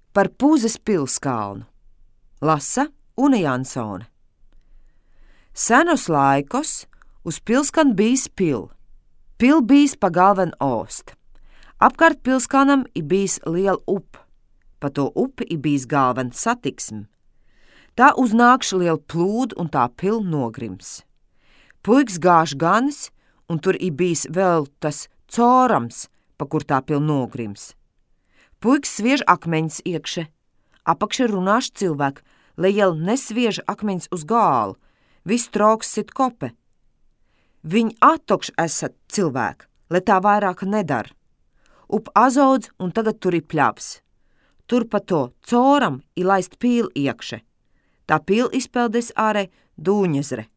Par Pūzes pilskalnu lasa Une Jansone. Senos laikos uz pilskalna bijis pil. Pil bijis pa galven ost. Apkārt pilskalnam i bijis liela upe. Pa to upi i bijis galven satiksme. Tā uznākš liela plūd un tā pil nogrims. Puiks gāž ganis, un tur i bijis vēl tas corams, pa kur tā pil nogrims. Puiks sviež akmeņus iekše, apakše runāš cilvēku, lai jau nesviež akmeņus uz gālu, viss trauks sit kope. Viņi atokš esat cilvēki, lai tā vairāk nedara. Up azaudz un tagad tur ir pļavs. Tur pa to coram ir laist pīli iekše. Tā pīli izpeldes ārē Dūņezre.